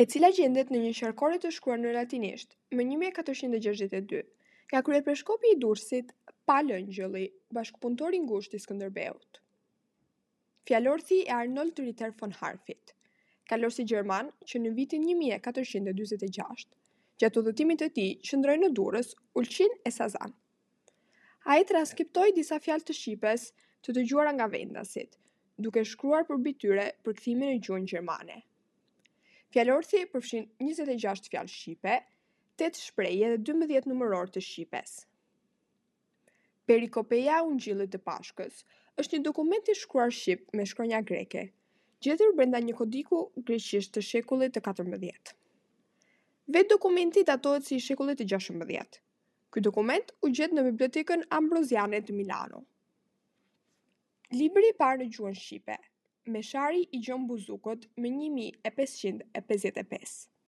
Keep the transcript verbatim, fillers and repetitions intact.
E cila gjendet në një qarkore të shkruar në latinisht më një mijë e katërqind e gjashtëdhjetë e dy nga kryepeshkopi i Durrësit, Pal Ëngjëlli, bashkëpunëtor i ngushtë i Skënderbeut. Fjalorthi i Arnold Ritter von Harff-it, kalorësit gjerman që në vitin një mijë e katërqind e dyzet e gjashtë, gjatë udhëtimit të tij qëndroi në Durrës, Ulqin e Sazan. Ai transkriptoi disa fjalë të shqipes të dëgjuara nga vendasit, duke shkruar përmbi tyre përkthimin në gjuhën gjermane. Fjalorthi përfshin njëzet e gjashtë fjalë shqipe, tetë shprehje dhe dymbëdhjetë numërorë të shqipes. Perikopeja e Ungjillit të Pashkës është një dokument i shkruar shqip me shkronja greke, gjetur brenda një kodiku greqisht të shekullit të katërmbëdhjetë. Vetë dokumenti datohet si i shekullit të gjashtëmbëdhjetë. Ky dokument u gjet në Bibliotekën Ambroziane të Milano. Libri i parë në gjuhën shqipe, Meshari i Gjon Buzukut më një mijë e pesëqind e pesëdhjetë e pesë.